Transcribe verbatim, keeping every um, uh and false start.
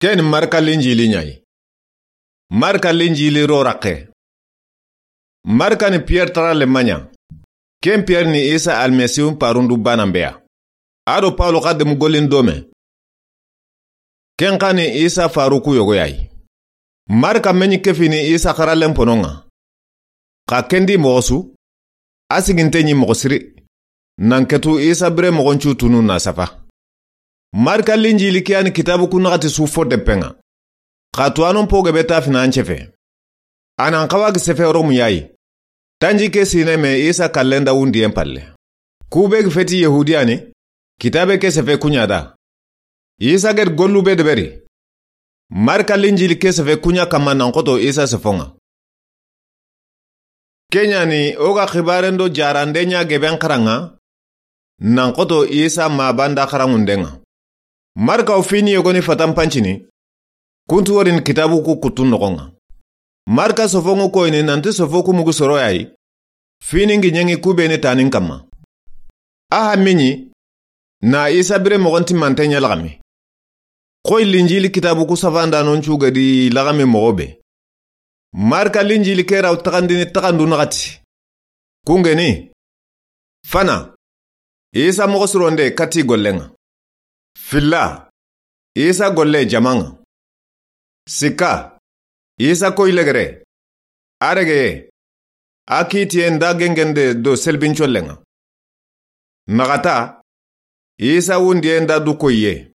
Ken Marka Linjili ɲa yi. Marka Linjili ro raqe. Marka ni Piyere tara le maɲa. Ken Piyere ni Isa Almasihu parundu banan be ya. A do Pawulu xa demu gollin dome. Ken xa ni Isa faruku yogo ya yi. Marka meɲi kefi ni Isa xaralen ponon ŋa. Xa ken di moxo su, a siginte ɲi moxo siri. Nan ketu Isa bire moxon cu tunu na safa. Marka Linjili ke ya ni kitabu ku naxati su fo deppen ŋa. Xa tuwanon po gebe ta fina an cefe. A nan xawa gi sefe Romu ya yi. Tanji ke sine me Isa kallen da wundiyen palle. Ku be gi feti Yahudiya ni, kitabe ke sefe ku ɲa da. Isa gedi gollu be deberi. Marka Linjili ke sefe ku ɲa kamma nan xoto Isa sefon ŋa. Ken ɲa ni o ga xibaren do jarande ɲa geben xaran ŋa, nan xoto Isa ma banda xaranŋunden ŋa. Marka wo fini yogoni fatan pancini, kuntu worini kitabu ku kuttun noxon ŋa. Marka sofon ŋu koyini nanti sofo ku mugu soro ya yi, fini ngi ɲeŋi ku be ni tanin kamma. A hammi ɲi, na Isa bire moxon timmante ɲa laxami. Xoyi Linjili kitabu ku safandanon cu gedi laxami moxo be. Marka Linjili ke raw taxandini taxandu naxati. Kungeni. Fana. Isa moxo sironde kati gollen ŋa. Filla. Isa golle jaman ŋa. Sikka. Isa koyi legere. A regeye. A kitiye nda gengende do selbincollen ŋa. Naxata. Isa wundiye nda du koyiye.